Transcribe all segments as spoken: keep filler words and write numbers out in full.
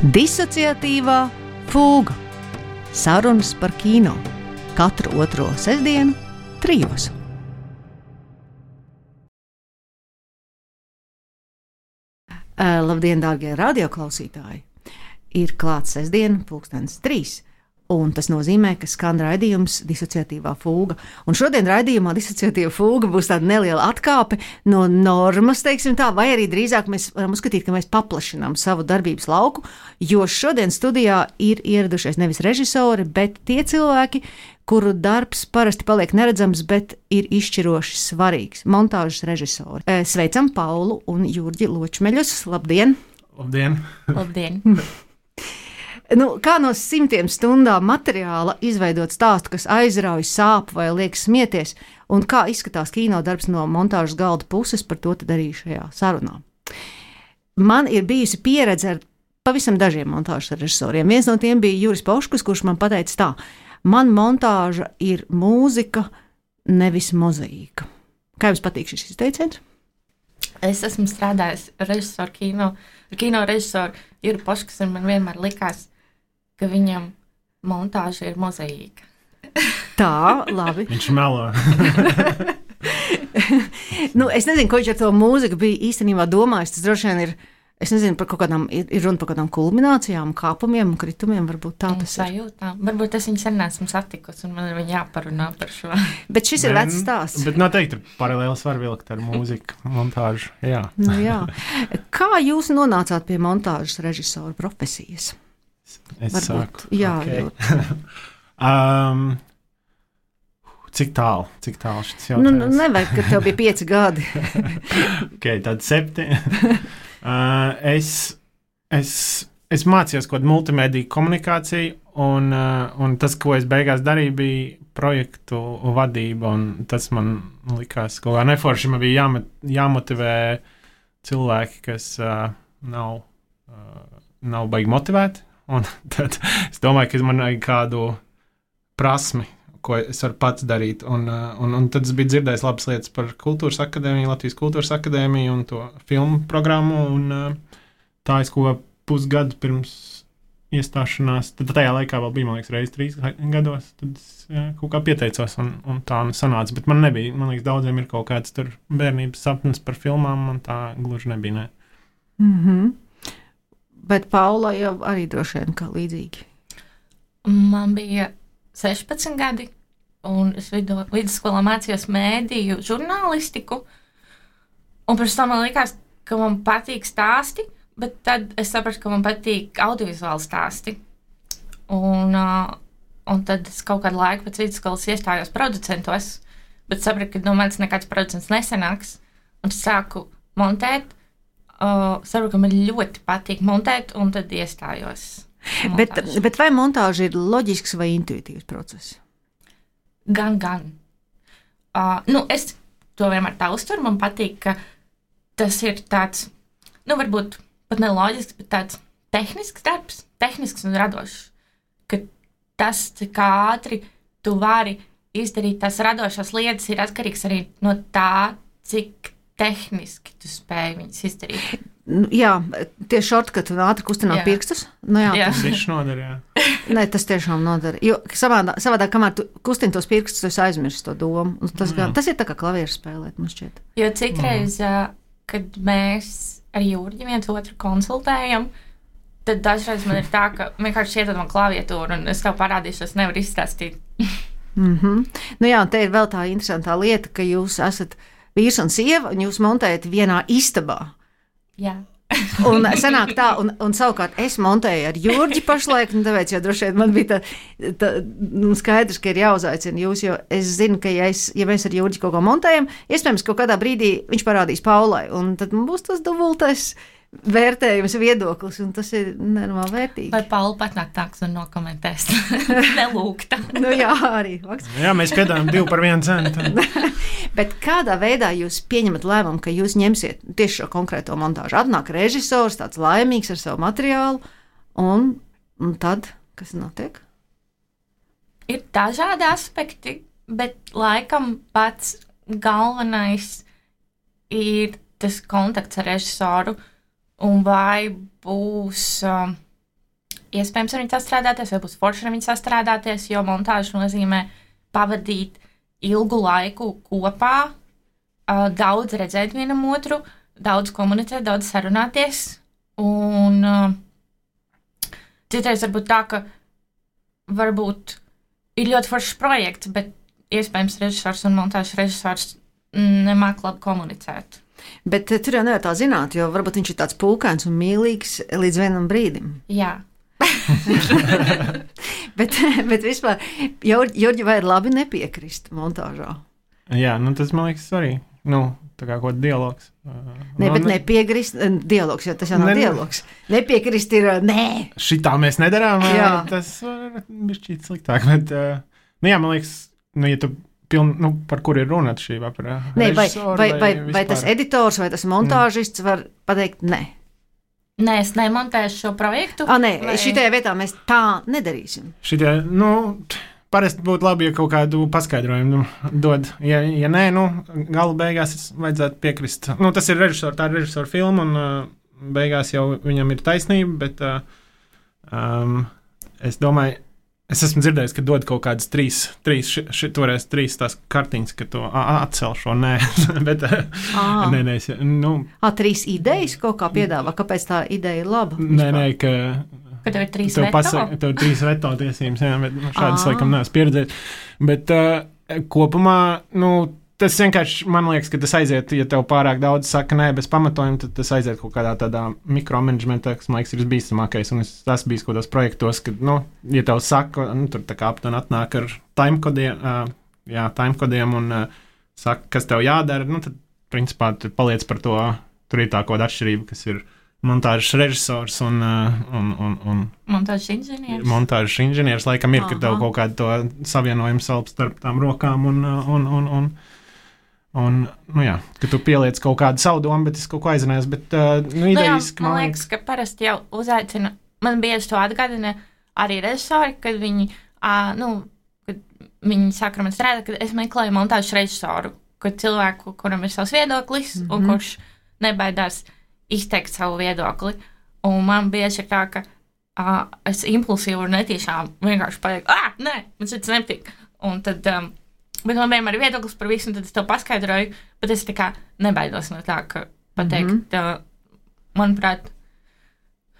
Disociatīvā fūga. Sarunas par kino. Katru otro sestdienu trijos. Labdien, dārgie radioklausītāji! Ir klāts sestdiena, pulkstens trīs. Un tas nozīmē, ka skan raidījums Disociatīvā fūga. Un šodien raidījumā Disociatīvā fūga būs tāda neliela atkāpe no normas, teiksim tā, vai arī drīzāk mēs varam uzskatīt, ka mēs paplašinām savu darbības lauku, jo šodien studijā ir ieradušies nevis režisori, bet tie cilvēki, kuru darbs parasti paliek neredzams, bet ir izšķiroši svarīgs - montāžas režisori. Sveicam Paulu un Jurģi Ločmeļus. Labdien! Labdien! Labdien! Nu, kā no simtiem stundām materiāla izveidot stāstu, kas aizrauj, sāp vai liek smieties, un kā izskatās kino darbs no montāžas galda puses, par to tad arī šajā sarunā. Man ir bijusi pieredze ar pavisam dažiem montāžas režisoriem. Viens no tiem bija Juris Poškus, kurš man pateica tā: man montāža ir mūzika, nevis mozaīka. Kā jums patīk šis izteiciens? Es esmu strādājis režisoru kino, kino režisoru Juri Poškus, un man vienmēr likās, ka viņam montāža ir mozaīka. Tā, labi. Viņš melo. Nu, es nezinu, ko viņš ar to mūziku bija īstenībā domājis. Tas droši vien ir, es nezinu, par kaut kādām, ir, ir runa par kādām kulminācijām, kāpumiem un kritumiem, varbūt tā tas ir. Sajūtām. Varbūt es viņu sen neesmu satikusi, un man ir viņa jāparunā par šo. Bet šis ir vecs stāsts. Bet noteikti paralēlis var vilkt ar mūziku, montāžu, jā. Nu, jā. Kā jūs nonācāt pie montāžas režisora profesijas? Es Varbūt, saku. Jā, okay. um, cik tālu, cik tālu šis jautājums? Nu, nevajag, ka tev bija pieci gadi. Ok, tad septiņi. uh, es, es, es mācījos kaut kādu multimediju komunikāciju, un, uh, un tas, ko es beigās darīju, bija projektu vadība, un tas man likās kaut kā neforši. Man bija jāmet, jāmotivē cilvēki, kas uh, nav, uh, nav baigi motivēti. Un tad es domāju, ka man vajag kādu prasmi, ko es varu pats darīt. Un, un, un tad es biju dzirdējis labas lietas par Kultūras akadēmiju, Latvijas Kultūras akadēmiju un to filmu programmu. Un, tā es kaut kā pusgadu pirms iestāšanās, tad tajā laikā vēl bija, man liekas, reiz trīs gados, tad es jā, kaut kā pieteicos un, un tā nu sanāca. Bet man nebija, man liekas, daudziem ir kaut kāds tur bērnības sapnis par filmām, man tā gluži nebija, ne. Mhm. Bet Paula jau arī droši vien kā līdzīgi. Man bija sešpadsmit gadi, un es vidu, vidusskolā mācījos mēdīju žurnālistiku, un pirms tam man likās, ka man patīk stāsti, bet tad es sapratu, ka man patīk audiovizuāli stāsti. Un, uh, un tad es kaut kādu laiku pēc vidusskolas iestājos producentos, bet sapratu, ka no manis nekāds producents nesanāks, un sāku montēt. Uh, saprotu, ka man ļoti patīk montēt, un tad iestājos. Bet, bet vai montāža ir loģisks vai intuitīvs process? Gan, gan. Uh, nu, es to vienmēr tā uztveru. Man patīk, ka tas ir tāds, nu, varbūt pat ne loģisks, bet tāds tehnisks darbs, tehnisks un radošs. Ka tas, cik ātri tu vari izdarīt tās radošās lietas, ir atkarīgs arī no tā, cik tehniski tu spēj viņas izdarīt. Jā, tie šortkati un ātri kustināt Jā. pirkstus. Nu, jā, Jā. Tas viss nodara, jā. Nē, tas tiešām nodara. Jo savādā, savādā kamēr tu kustini tos pirkstus, tu esi aizmirsis to domu. Un tas, gan, tas ir tā kā klavieru spēlēt, man šķiet. Jo citreiz, mm. kad mēs ar Jurģi viens otru konsultējam, tad dažreiz man ir tā, ka vienkārši iedod man klaviatūru un es tev parādīšu, es nevaru izstāstīt. Mm-hmm. Nu jā, un te ir vēl tā interesantā lieta, ka jūs esat vīrs un sieva, un jūs montējat vienā istabā. Jā. Un sanāk tā, un, un savukārt es montēju ar Jurģi pašlaik, un tāpēc jau droši vien man bija tā, tā nu, skaidrs, ka ir jāuzaicina jūs, jo es zinu, ka ja, es, ja mēs ar Jurģi kaut ko montējam, iespējams, kaut kādā brīdī viņš parādīs Paulai, un tad būs tas dubultais vērtējums, viedoklis, un tas ir nenormāli vērtīgi. Vai Paula patnāk tāks un nokomentēs? Nelūgta. Nu jā, arī. Vaks. Jā, mēs piedāvājam divu par vienu cenu. Bet kādā veidā jūs pieņemat lēmumu, ka jūs ņemsiet tieši šo konkrēto montāžu? Atnāk režisors, tāds laimīgs ar savu materiālu, un, un tad, kas notiek? Ir dažādi aspekti, bet laikam pats galvenais ir tas kontakts ar režisoru, un vai būs uh, iespējams ar viņu sastrādāties, vai būs forši ar viņu sastrādāties, jo montāža nozīmē pavadīt ilgu laiku kopā, uh, daudz redzēt vienam otru, daudz komunicēt, daudz sarunāties. Un uh, citreiz varbūt tā, ka varbūt ir ļoti foršs projekts, bet iespējams režisors un montāžas režisors nemāk labi komunicēt. Bet tur jau nevar tā zināt, jo varbūt viņš ir tāds pūkains un mīlīgs līdz vienam brīdim. Jā. bet, bet vispār, Jurģi, vai ir labi nepiekrist montāžā? Jā, nu tas man liekas arī. Nu, tā kā kaut dialogs. Ne, bet nepiekrist, dialogs, jo tas jau nav ne, dialogs. Nepiekrist ir nē. Šitā mēs nedarām, jā. Tas var bišķīt sliktāk, bet, nu jā, man liekas, nu, ja tu piln, nu, par kur ir runa šī vai par ne, režisoru, vai, vai, vai, vai tas editors, vai tas montāžists mm. var pateikt nē? Nē, es nemontēšu šo projektu. Ah, nē, vai... šitajā vietā mēs tā nedarīsim. Šitie, nu, parasti būtu labi, ja kaut kādu paskaidrojumu nu, dod. Ja, ja nē, nu, galu beigās vajadzētu piekrist. Nu, tas ir režisors, tā ir režisora filma, un uh, beigās jau viņam ir taisnība, bet uh, um, es domāju, es esmu dzirdējis, ka dod kaut kādas trīs, trīs ši, ši, toreiz trīs tās kartiņas, ka to atcel šo, nē, bet, nē, nē, es, nu. Ā, trīs idejas kaut kā piedāvā, kāpēc tā ideja ir laba? Nē, nē, ka. Ka tev ir trīs tev veto? Pasaka, tev ir trīs veto tiesības, jā, bet šādas laikam neesmu pieredzējis. Bet uh, kopumā, nu, tas vienkārši, man liekas, ka tas aiziet, ja tev pārāk daudz saka nē, bez pamatojuma, tad tas aiziet kaut kādā tādā mikromanagementā, kas, man liekas, ir visbīstamākais. Un es tas bijis kaut kādos projektos, kad, nu, ja tev saka, nu, tur tā kā aptuveni atnāk ar timekodiem, uh, jā, timekodiem un uh, saka, kas tev jādara, nu, tad, principā, tu paliec par to, tur ir tā kaut kāda atšķirība, kas ir montāžas režisors un, uh, un, un, un montāžas inženieris. Montāžas inženieris, laikam ir, ka tev kaut kādu to savienojumu salp starp tām rokām un, un, un, un Un, nu jā, ka tu pieliec kaut kādu savu domu, bet es kaut ko aizrunājos, bet, uh, nu, idejas, nu jā, man liekas, ka parasti jau uzaicina, man bieži to atgādina arī režisori, kad viņi, uh, nu, kad viņi saka, man strādā, kad es meklēju montāžas režisoru, kad cilvēku, kuram ir savs viedoklis, mm -hmm. un kurš nebaidās izteikt savu viedokli, un man bieži ir tā, ka uh, es impulsīvi un netīšām vienkārši pateiktu, ah, nē, man šis nepatīk, un tad, um, bet man vienmēr ir viedoklis par visu, un tad es tev paskaidroju, bet es tā kā nebaidos no tā, ka pateikt, mm -hmm. tā, manuprāt,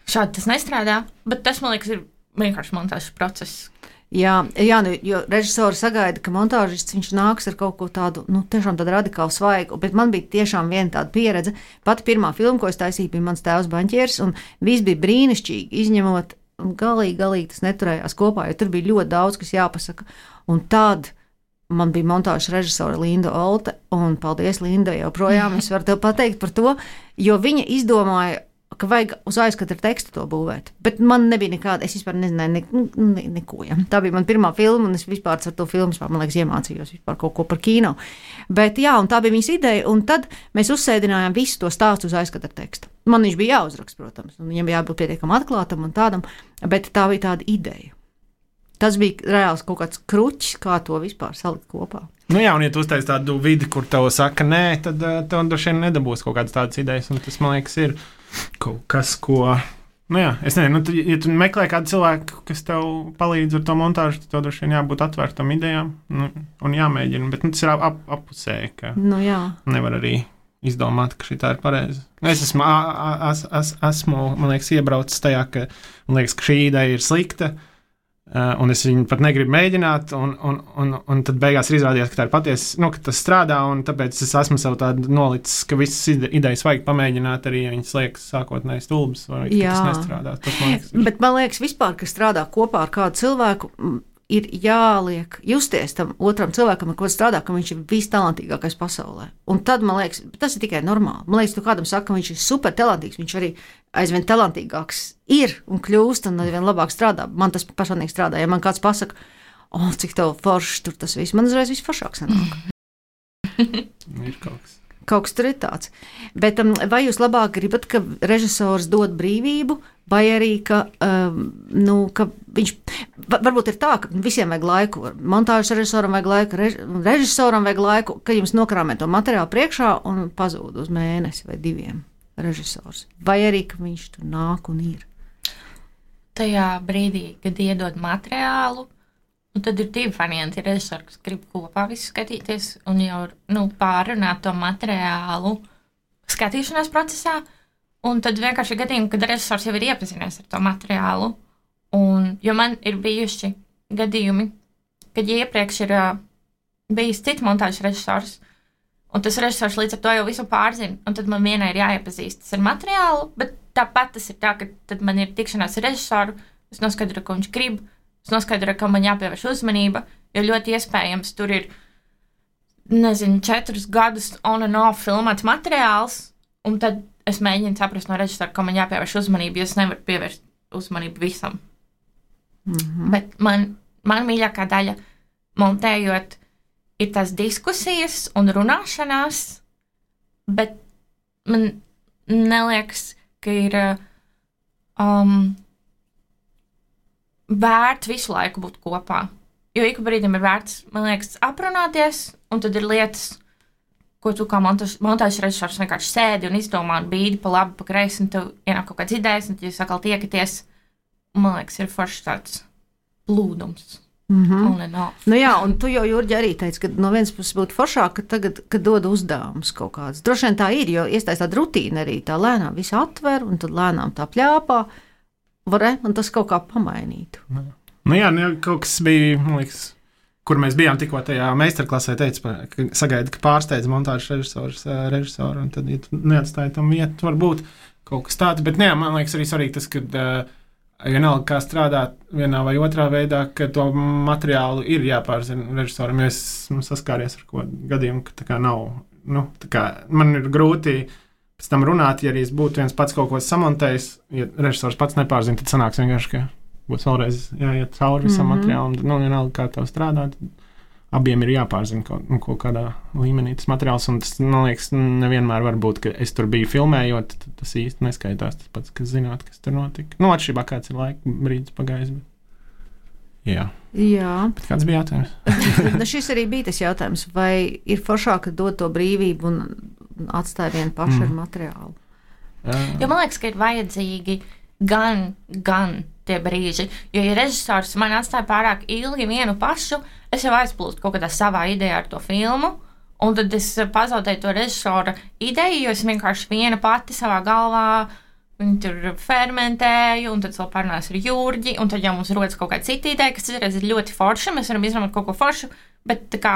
šādi tas nestrādā, bet tas, man liekas, ir vienkārši montāžas process. Jā, jā, nu, jo režisori sagaida, ka montāžists viņš nāks ar kaut ko tādu, nu, tiešām tādu radikālu svaigu, bet man bija tiešām viena tāda pieredze. Pati pirmā filma, ko es taisīju, bija mans tēvs banķieris, un viss bija brīnišķīgi, izņemot, un galīgi, galīgi tas neturējās kopā, jo tur bija ļoti daudz, kas jāpasaka, un tad man bija montāžas režisora Linda Olte, un paldies, Linda, joprojām es varu tev pateikt par to, jo viņa izdomāja, ka vajag uz aizkatra tekstu to būvēt. Bet man nebija nekāda, es vispār nezināju ne, ne, neko. Ja. Tā bija man pirmā filma, un es vispār ar to filmu, vispār, man liekas, iemācījos vispār kaut ko par kino. Bet jā, un tā bija viņas ideja, un tad mēs uzsēdinājām visu to stāstu uz aizkatra teksta. Man viņš bija jāuzraksta, protams, un viņam jābūt pietiekam atklātam un tādam, bet tā bija tāda ideja. Tas bija reāls kaut kāds kruķis, kā to vispār salikt kopā. Nu jā, un ja tu uztaisi tādu vidi, kur tev saka nē, tad tev droši vien nedabūs kaut kādas tādas idejas, un tas, man liekas, ir kaut kas, ko, nu jā, es nezinu, nu, tu, ja tu meklē kādu cilvēku, kas tev palīdz ar to montāžu, tad tev droši vien jābūt atvērtam idejām, nu, un jāmēģina, bet, nu, tas ir ap, ap, apusēji, ka nu jā. Nevar arī izdomāt, ka šī tā ir pareiza. Es esmu, as, as, esmu, man liekas, iebraucis tajā, ka, man liekas, ka šī ideja ir slikta, Uh, un es viņu pat negribu mēģināt, un, un, un, un tad beigās ir izrādījās, ka tā ir patiesa, nu, ka tas strādā, un tāpēc es esmu sev tādu nolicis, ka visas ide idejas vajag pamēģināt, arī ja viņas liekas sākotnēji stulbas, vai ka tas nestrādā. Tas, man liekas, ir... Bet man liekas, vispār, ka strādā kopā ar kādu cilvēku, ir jāliek justies tam otram cilvēkam, ar ko strādā, ka viņš ir vistalantīgākais pasaulē. Un tad, man liekas, tas ir tikai normāli. Man liekas, tu kādam saka, ka viņš ir super talantīgs, viņš arī aizvien talantīgāks ir un kļūst un aizvien labāk strādā. Man tas personīgi strādā. Ja man kāds pasaka, o, oh, cik tev foršs tur tas viss, man uzreiz viss foršāk sanāk. Ir kaut kas. Kaut kas tur ir tāds. Bet um, vai jūs labāk gribat, ka režisors dod brīvību, vai arī, ka, um, nu, ka viņš, varbūt ir tā, ka visiem vajag laiku, montāžas režisoram vajag laiku, rež, režisoram vajag laiku, ka jums nokrāmē to materiālu priekšā un pazūd uz mēnesi vai diviem režisors. Vai arī, ka viņš tur nāk un ir? tajā brīdī, kad iedod materiālu, un tad ir divi varianti. Ir režisori, kas grib kopā visu skatīties un jau nu, pārunāt to materiālu skatīšanās procesā, un tad vienkārši gadījumi, kad režisors jau ir iepazinies ar to materiālu. Un, jo man ir bijuši gadījumi, kad iepriekš ir uh, bijis cits montāžas režisors, un tas režisors līdz ar to jau visu pārzina, un tad man vienai ir jāiepazīstas ar materiālu, bet tāpat tas ir tā, ka tad man ir tikšanās ar režisoru, es noskaidroju, ko viņš grib, es noskaidroju, ka man jāpievērš uzmanība, jo ļoti iespējams tur ir, nezinu, četrus gadus on and off filmēts materiāls, un tad es mēģinu saprast no režisora, ka man jāpievērš uzmanība, jo es nevaru pievērst uzmanību visam. Mm-hmm. Bet man, man mīļākā daļa montējot ir tās diskusijas un runāšanās, bet man neliekas, ka ir um, vērts visu laiku būt kopā. Jo ik brīdim ir vērts, man liekas, aprunāties, un tad ir lietas, ko tu kā montāžas režisors vienkārši sēdi un izdomā un bīdi pa labi, pa kreisi, un tev ienāk kaut kāds idejas, un jūs atkal tiekaties. Man liekas, ir forši tāds plūdums. Mm-hmm. Nu jā, un tu jau, Jurģi, arī teici, ka no vienas puses būtu foršāk, ka tagad, kad dod uzdevumus kaut kāds. Droši vien tā ir, jo iestājas tāda rutīna arī, tā lēnām visu atver, un tad lēnām tā pļāpā, varē, un tas kaut kā pamainītu. Nu jā, nu, kaut kas bija, man liekas, kur mēs bijām tikko tajā meistarklasē, teica, ka sagaida, ka pārsteidz montāžas režisors, režisoru, un tad, ja tu neatstāji tam vietu, varbūt kaut kas tāds, bet jā, man liekas arī svarīgi tas, ka vienalga, kā strādāt vienā vai otrā veidā, ka to materiālu ir jāpārzina režisoram, jo es esmu saskāries ar ko gadījumu, ka tā kā nav, nu, tā kā man ir grūti pēc tam runāt, ja arī es būtu viens pats kaut ko samontējis, ja režisors pats nepārzina, tad sanāks vienkārši, ka būs vēlreiz jāiet cauri visam mm-hmm. materiālam, nu, vienalga, kā tev strādāt, abiem ir jāpārzina kaut, nu, kaut kādā līmenī tas materiāls, un tas, man liekas, nevienmēr var būt, ka es tur biju filmējot, tad tas īsti neskaitās tas pats, kas zināt, kas tur notika. Nu, atšķirībā kāds ir laika brīdis pagājis, bet jā. Jā. Bet kāds bija jautājums? Nu, šis arī bija tas jautājums, vai ir foršāk dot to brīvību un atstāja vienu pašu mm. ar materiālu? Jā. Jo man liekas, ka ir vajadzīgi gan, gan tie brīži, jo ja režisors man atstāja pārāk ilgi vienu pašu, es jau aizplūstu kaut kādā savā idejā ar to filmu, un tad es pazaudēju to režisora ideju, jo es vienkārši viena pati savā galvā viņu tur fermentēju, un tad vēl parunāju ar Jurģi, un tad jau mums rodas kaut kāda cita ideja, kas ir ļoti forša, mēs varam izdomāt kaut ko foršu, bet tā kā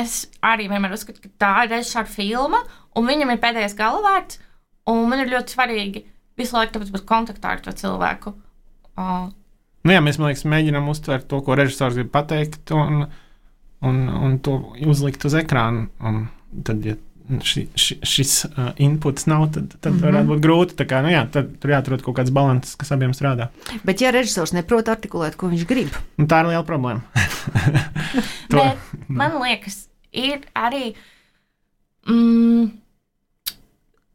es arī vienmēr uzskatu, ka tā ir režisora filma, un viņam ir pēdējais galvārds, un man ir ļoti svarīgi visu laiku tāpēc būt kontaktā ar to cilvēku. Uh. Nu jā, mēs, man liekas, mēģinām uztvert to, ko režisors grib pateikt, un, un, un to uzlikt uz ekrānu. Un tad, ja ši, ši, šis uh, inputs nav, tad, tad mm-hmm. varētu būt grūti. Tā kā, nu jā, tad tur jāatrod kaut kāds balanss, kas abiem strādā. Bet ja režisors neprot artikulēt, ko viņš grib? Nu, tā ir liela problēma. Bet man liekas, ir arī mm,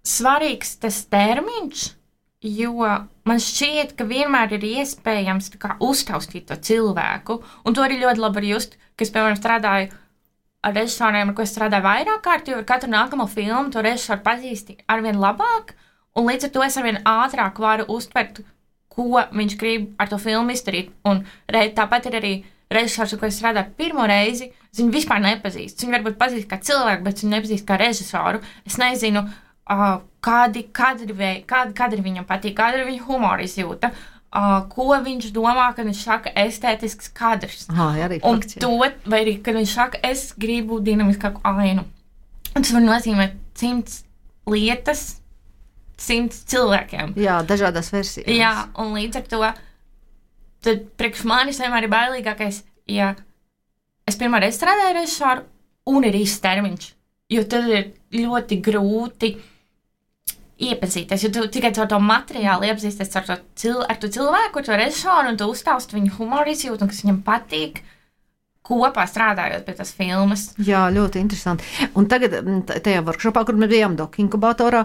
svarīgs tas termiņš, jo man šķiet, ka vienmēr ir iespējams kā, uztaustīt to cilvēku, un to arī ļoti labi var just, ka es, piemēram, strādāju ar režisoriem, ar ko es strādāju vairāk kārt, jo ar katru nākamo filmu to režisoru pazīsti arvien labāk, un līdz ar to es arvien ātrāk varu uztvert, ko viņš grib ar to filmu izdarīt, un re, tāpat ir arī režisors, ar ko es strādāju pirmo reizi, es viņu vispār nepazīstu, viņu varbūt pazīst kā cilvēku, bet viņu nepazīst kā režisoru, es nezinu, Uh, kādi kadri, kādi kadri viņam patīk, kāda ir viņa humora izjūta, uh, ko viņš domā, kad viņš saka estētisks kadrs. Aha, jā, arī un fakts, to, vai arī, kad viņš saka, es gribu dinamiskāku ainu. Un tas var nozīmēt simts lietas, simts cilvēkiem. Jā, dažādās versijās. Jā, un līdz ar to, tad priekš manis vienmēr ir bailīgākais, ja es pirmā reize strādāju režisoru un ir īsts termiņš, jo tad ir ļoti grūti iepazīties, jo tu tikai ar to materiālu iepazīsties ar to, cil, ar to cilvēku, ar to režisoru, un tu uztausti viņu humoru izjūtu, un kas viņam patīk, kopā strādājot pie tās filmas. Jā, ļoti interesanti. Un tagad tajā workshopā, kur mēs bijām Doku inkubatorā,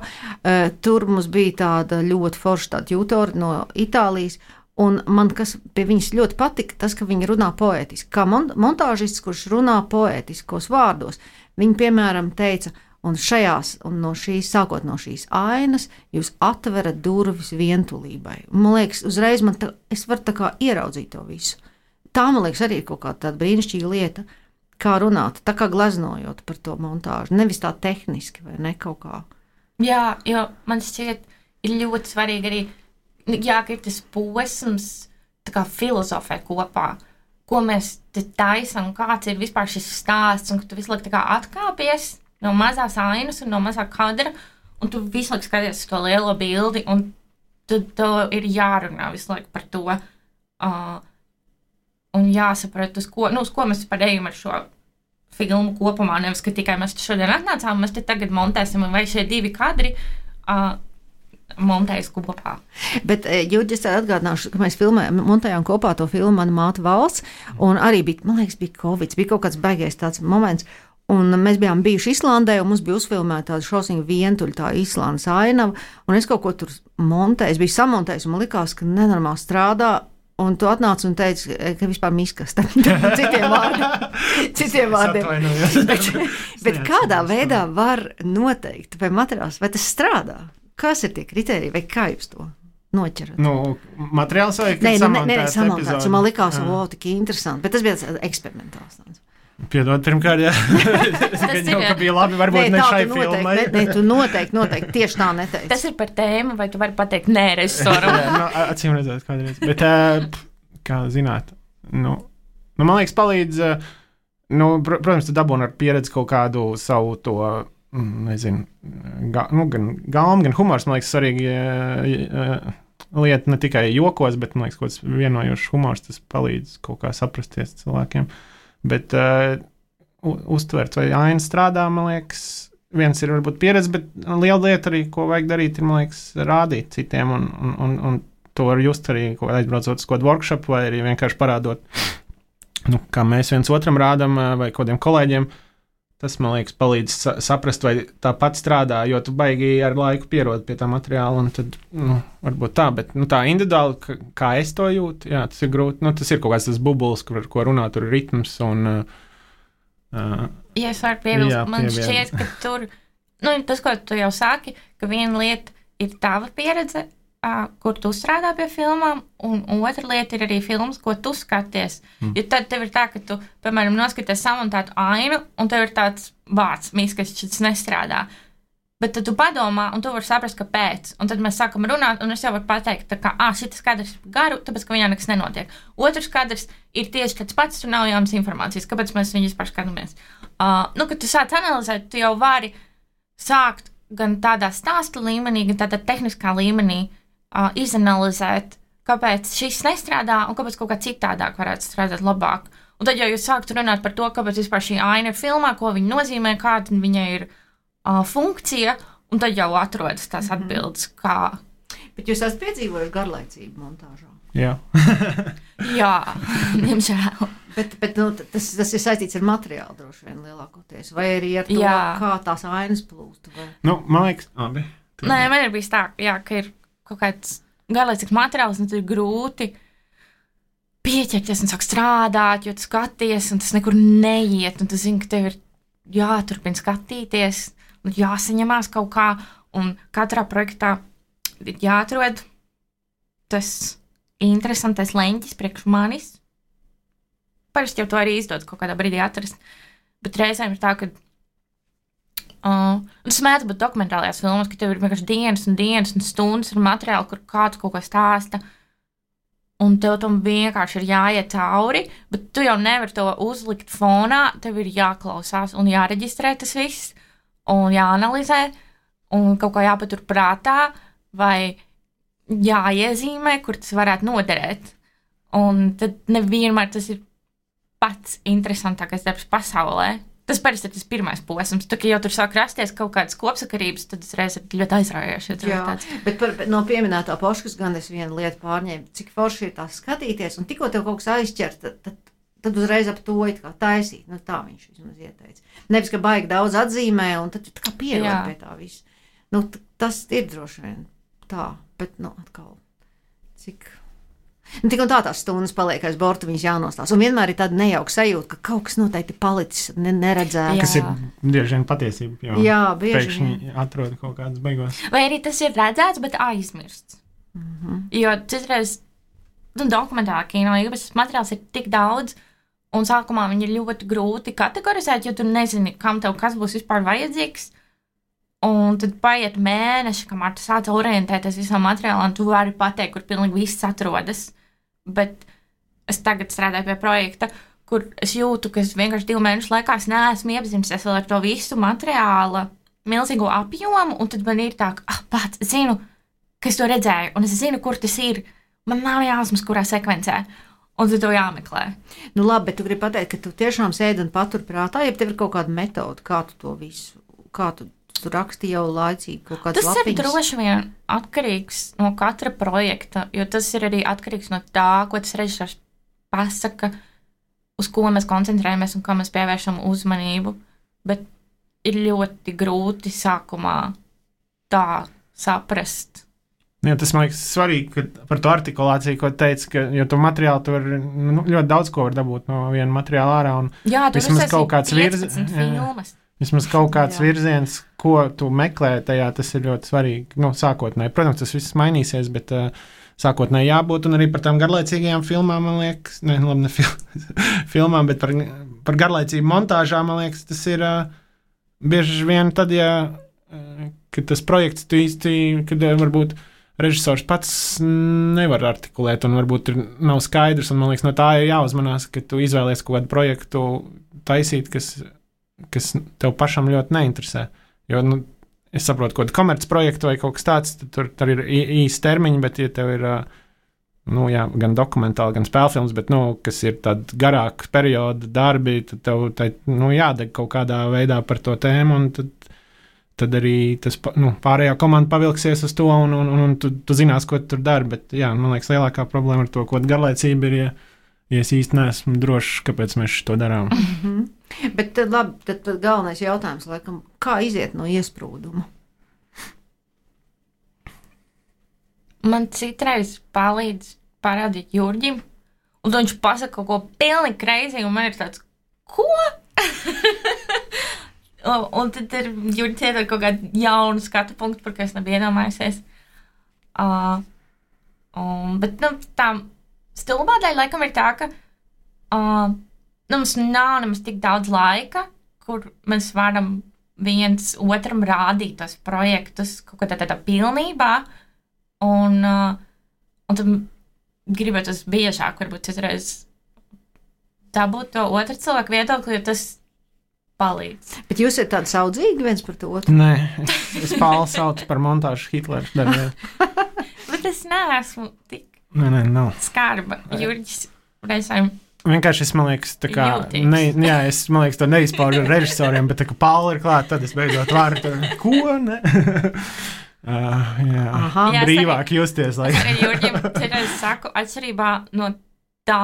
tur mums bija tāda ļoti forša tāda jūtora no Itālijas, un man kas pie viņas ļoti patika, tas, ka viņa runā poētiski. Kā montāžists, kurš runā poētiskos vārdos, viņa, piemēram, teica, Un, šajās, un no šīs, sākot no šīs ainas, jūs atverat durvis vientulībai. Man liekas, uzreiz man tā, es varu tā kā ieraudzīt to visu. Tā, man liekas, arī ir kaut kāda tāda brīnišķīga lieta, kā runāt, tā kā gleznojot par to montāžu, nevis tā tehniski vai ne kaut kā. Jā, jo man šķiet, ir ļoti svarīgi arī, jā, ka ir tas posms, tā kā filozofē kopā, ko mēs te taisam, kāds ir vispār šis stāsts, un ka tu visu laiku tā kā atkāpies no mazās ainas un no mazā kadra, un tu visu laiku skaties uz to lielo bildi, un tu, tu ir jārunā visu laiku par to, uh, un jāsaprot, uz ko, nu, uz ko mēs par ejam ar šo filmu kopumā, nevis, ka tikai mēs šodien atnācām, mēs te tagad montēsim, vai šie divi kadri uh, montējas kopā. Bet, Jurģi, es atgādināšu, ka mēs filmējām, montējām kopā to filmu Mana māte valsts, un arī bija, man liekas, bija Covid, bija kaut kāds baigais tāds moments, un mēs bijām bijuši Islandē, un mums bija uzfilmēta tāda šausmīga vientuļa, tā Islandes ainava, un es kaut ko tur montēju, es biju samontējis, un man likās, ka nenormāli strādā, un tu atnāc un teici, ka vispār miskas, citiem vārdiem. Citiem vārdiem. bet, bet kādā veidā var noteikt, vai materiāls, vai tas strādā? Kas ir tie kriteriji, vai kā jūs to noķerat? Nu, materiāls vai nē, samontēts? Nē, nē, samontēts, un man likās, o, tik interesanti, bet tas bija eksperimentāls. Piedod, pirmkārt, jā. Es gan jau, ka bija labi, varbūt nē, ne šai noteikti, filmai. Nē, nē, tu noteikti, noteikti, tieši tā neteici. Tas ir par tēmu, vai tu vari pateikt nē režisoram? Jā, nu, acīm redzēt kādreiz. Bet, kā zināt, nu, nu man liekas, palīdz, nu, protams, tu dabūni ar pieredzi kaut kādu savu to, nezinu, ga, nu, gan galmu, gan humors, man liekas, svarīgi lieta ne tikai jokos, bet, man liekas, kaut kāds vienojošs humors, tas palīdz kaut kā saprasties cilvēkiem. Bet uh, uztvert, vai aina strādā, man liekas, viens ir varbūt pieredze, bet liela lieta arī, ko vajag darīt, ir, man liekas, rādīt citiem, un, un, un, un to var just arī, ko aizbraucot uz kādu workshop, vai arī vienkārši parādot, nu, kā mēs viens otram rādam, vai kādiem kolēģiem. Tas, man liekas, palīdz saprast, vai tāpat strādā, jo tu baigi ar laiku pierod pie tā materiāla, un tad, nu, varbūt tā, bet, nu, tā individuāli, kā es to jūtu, jā, tas ir grūti, nu, tas ir kaut kāds tas bubulis, kur, ko runā, tur ir ritms, un, uh, ja es varu piebilst, man šķiet, ka tur, nu, tas, ko tu jau sāki, ka viena lieta ir tava pieredze, uh, kur tu strādā pie filmām, un otra lieta ir arī filmas, ko tu skaties. Mm. Jo tad tev ir tā, ka tu, piemēram, noskaties samontētu ainu, un tev ir tāds vārds, miskas, šis nestrādā. Bet tad tu padomā, un tu vari saprast, kāpēc. Un tad mēs sākam runāt, un es jau varu pateikt, tā kā, ā, šitas kadrs ir garu, tāpēc, ka viņā nekas nenotiek. Otrs kadrs ir tieši tāds pats, tur nav jaunas informācijas, kāpēc mēs viņu vispār skatāmies. Uh, nu, kad tu sāc analizēt, tu jau vari sākt gan tādā stāsta līmenī, gan tādā tehniskā līmenī uh, izanalizēt, kāpēc šis nestrādā, un kāpēc kaut kā citādāk varētu strādāt labāk. Un tad jau jūs sāktu runāt par to, kāpēc vispār šī aina ir filmā, ko viņa nozīmē, kāda viņai ir Uh, funkcija, un tad jau atrodas tās atbildes, kā. Bet jūs esat piedzīvojuši garlaicību montāžā? Jā. Jā, diemžēl. Bet, bet nu, tas, tas ir saistīts ar materiālu droši vien lielākoties, vai arī ar to, jā. Kā tās ainas plūst? Vai? Nu, man liekas, abi. Nē, man ir bijis tā, jā, ka ir kaut kāds garlaicīgs materiāls, un tad ir grūti pieķerties un sāk strādāt, jo tu skaties, un tas nekur neiet, un tu zini, ka tev ir jāturpina skatīties, jāsaņemās kaut kā, un katrā projektā ir jāatrod tas interesantais leņķis priekš manis. Parasti jau to arī izdodas kaut kādā brīdī atrast, bet reizēm ir tā, ka uh, tas mēdz būt dokumentālajās filmās, ka tev ir vienkārši dienas un dienas un stundas ar materiālu, kur kāds kaut ko stāsta, un tev tam vienkārši ir jāiet cauri, bet tu jau nevari to uzlikt fonā, tev ir jāklausās un jāreģistrē tas viss, un jāanalizē, un kaut kā jāpatur prātā, vai jāiezīmē, kur tas varētu noderēt. Un tad nevienmēr tas ir pats interesantākais darbs pasaulē. Tas parasti ir tas pirmais posms. Tā kā jau tur sāk rasties kaut kādas kopsakarības, tad tas reiz ir ļoti aizraujoši. Jā, bet par, no pieminētā Poškas gan es vienu lietu pārņēmu, cik forši ir tās skatīties, un tikko tev kaut kas aizķert, tad, tad tad uzreiz ap to it kā taisīt. Nu, tā viņš vismaz ieteica. Nevis, ka baigi daudz atzīmē, un tad tu tā kā pierod pie tā visu. Nu, t- tas ir droši vien tā, bet, nu, atkal, cik... Nu, tik un tā tās stundas paliek aiz borta, viņas jānostās. Un vienmēr ir tāda nejauka sajūta, ka kaut kas noteikti palicis ne, neredzēts. Kas ir bieži vien patiesība, jo Jā, bieži pēkšņi vien. atrod kaut kādas beigās. Vai arī tas ir redzēts, bet aizmirsts. Mhm. Jo citreiz nu, dokumentālā kino īpašs materiāls ir tik daudz, un sākumā viņi ir ļoti grūti kategorizēt, jo tu nezini, kam tev kas būs vispār vajadzīgs. Un tad paiet mēneši, kamēr tu sāc orientēties visam materiālam, tu vari pateikt, kur pilnīgi viss atrodas. Bet es tagad strādāju pie projekta, kur es jūtu, ka es vienkārši divu mēnešu laikā es neesmu iepazinusies vēl ar to visu materiāla milzīgo apjomu, un tad man ir tā, ka, ah, pats, es zinu, ka es to redzēju, un es zinu, kur tas ir. Man nav jāsmas, kurā sekvencē, un tad to jāmeklē. Nu labi, bet tu gribi pateikt, ka tu tiešām sēdi un patur prātā, ja tev ir kaut kāda metode, kā tu to visu, kā tu, tu raksti jau laicīgi kaut kādas Tas lapiņas. ir droši vien atkarīgs no katra projekta, jo tas ir arī atkarīgs no tā, ko tas režisors pasaka, uz ko mēs koncentrējamies un kā mēs pievēršam uzmanību, bet ir ļoti grūti sākumā tā saprast. Jā, tas man liekas svarīgi, ka par to artikulāciju, ko teici, ka, jo tu materiāli tu var, nu, ļoti daudz ko var dabūt no viena materiāla ārā, un Jā, tur vismaz kaut kāds virz- filmas. vismaz kaut kāds Jā. virziens, ko tu meklē tajā, tas ir ļoti svarīgi, nu, sākotnēji. Protams, tas viss mainīsies, bet uh, sākotnēji jābūt, un arī par tām garlaicīgajām filmām, man liekas, ne, labi, ne fil filmām, bet par, par garlaicību montāžām, man liekas, tas ir uh, bieži vien tad, ja, uh, kad tas projekts tu īsti, kad uh, varbūt režisors pats nevar artikulēt, un varbūt ir, nav skaidrs, un man liekas, no tā ir jāuzmanās, ka tu izvēlies kaut kādu projektu taisīt, kas, kas tev pašam ļoti neinteresē. Jo, nu, es saprotu, kaut kādu komerc projektu vai kaut kas tāds, tad tur, tur ir īsi termiņi, bet ja tev ir, nu, jā, gan dokumentāli, gan spēlfilms, bet, nu, kas ir tādi garāki perioda darbi, tad tev, tai, nu, jādeg kaut kādā veidā par to tēmu, un tad tad arī tas, nu, pārējā komanda pavilksies uz to, un, un, un tu, tu zinās, ko tu tur dari, bet, jā, man liekas, lielākā problēma ar to, ko garlaicība ir, ja, ja es īsti neesmu drošs, kāpēc mēs to darām. Mm-hmm. Bet tad, labi, tad, tad galvenais jautājums, laikam, kā iziet no iesprūduma? Man citreiz palīdz parādīt Jurģim, un viņš pasaka kaut ko pilnīgi crazy, un man ir tāds, ko? Un, un tad ir Jurģis iedod kaut kādu jaunu skatu punktu, par ko es nebiju iedomājusies. Uh, um, bet, nu, tā stulbā daļa laikam ir tā, ka uh, nu, mums nav nemaz tik daudz laika, kur mēs varam viens otram rādīt tos projektus kaut kādā tādā pilnībā, un, uh, un tad gribētos biežāk, varbūt citreiz dabūt to otru cilvēku viedokli, jo tas palīdz. Bet jūs esat tādi saudzīgi viens par to otru? Nē, es, es Pālu saucu par montāžu Hitlers darbiem. Bet es neesmu tik Nē, nē, nav. skarba. Jurģis reizēm Vienkārši es, man liekas, tā kā, Jūtīgs. ne, jā, es, man liekas, to neizpaužu ar režisoriem, bet tā kā Pāla ir klāt, tad es beidzot varu tur, ko, ne? uh, jā, Aha. Jā, es brīvāk justies, lai. es arī Jurģim citreiz saku, atšķirībā no tā,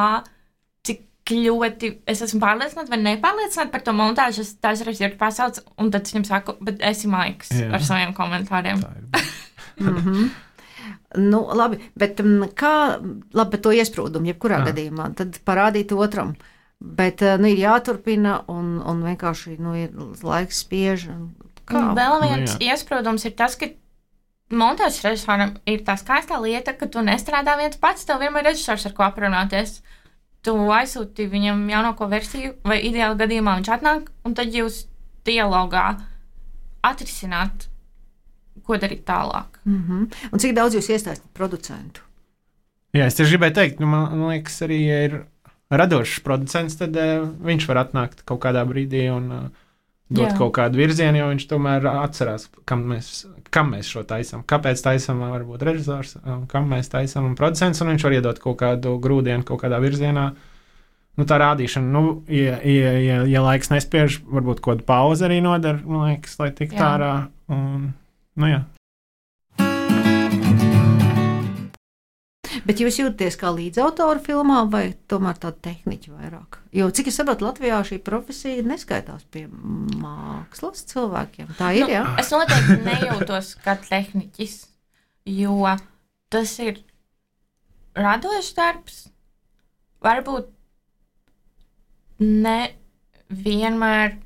cik ļoti es esmu pārliecināta vai nepārliecināta par to montāžu, es dažreiz Jurģi pasauc, un tad es viņam saku, bet esi maiks Jā. ar saviem komentāriem. Mm-hmm. Nu, labi, bet um, kā, labi, bet to iesprūdumu, jebkurā Jā. gadījumā, tad parādīt otram. Bet, uh, nu, ir jāturpina, un, un vienkārši, nu, ir laiks spiež. un Kā? Un vēl Nu, viens jā. iesprūdums ir tas, ka montāžas režisoram ir tā skaistā lieta, ka tu nestrādā viens pats, tev vienmēr ir režisors, ar ko aprunāties. Tu aizsūti viņam jaunāko versiju, vai ideāli gadījumā viņš atnāk, un tad jūs dialogā atrisināt, ko darīt tālāk. Mm-hmm. Un cik daudz jūs iestāstāt producentu? Jā, es tieši gribēju teikt, nu, man, man liekas, arī, ja ir radošs producents, tad uh, viņš var atnākt kaut kādā brīdī un uh, dot Jā. kaut kādu virzienu, jo viņš tomēr atcerās, kam mēs, kam mēs šo taisam, kāpēc taisam, varbūt režisors, um, kam mēs taisam, un producents, un viņš var iedot kaut kādu grūdienu kaut kādā virzienā. Nu, tā rādīšana, nu, ja, ja, ja, ja laiks nespiež, varbūt kaut kādu pauzi arī nodara, man liekas, lai tik Jā. tārā, un, nu jā. Bet jūs jūtaties kā līdzautori filmā, vai tomēr tāda tehniķa vairāk? Jo, cik es saprotu, Latvijā šī profesija neskaitās pie mākslas cilvēkiem. Tā ir, Nu, jā? es noteikti nejūtos kā tehniķis, jo tas ir radošs darbs varbūt ne vienmēr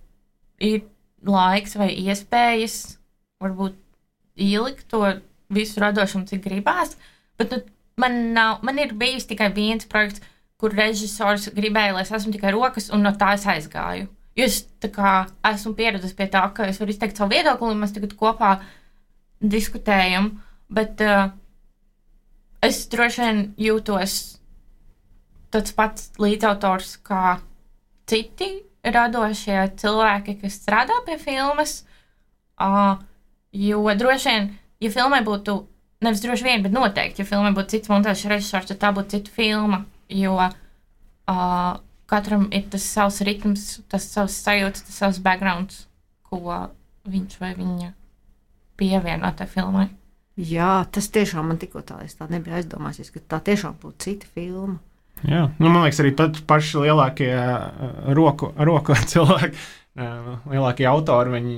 ir laiks vai iespējas varbūt ielikt to visu radošumu, cik gribās, bet nu, man, nav, man ir bijis tikai viens projekts, kur režisors gribēja, lai es esmu tikai rokas, un no tā es aizgāju. Jo es tā kā esmu pieradusi pie tā, ka es varu izteikt savu viedokli, un mēs tagad kopā diskutējam, bet uh, es droši vien jūtos tāds pats līdzautors kā citi radošie cilvēki, kas strādā pie filmas, uh, jo droši vien, ja filmai būtu, nevis droši vien, bet noteikti, ja filmai būtu cits montāžas režisors, tad tā būtu cita filma, jo uh, katram ir tas savs ritms, tas savs sajūtas, tas savs backgrounds, ko viņš vai viņa pievieno tai filmai. Jā, tas tiešām man tikko tā, es tā nebija aizdomājusies, ka tā tiešām būtu cita filma. Jā, nu, man liekas, arī pat paši lielākie uh, roku, roku cilvēki, uh, lielākie autori, viņi,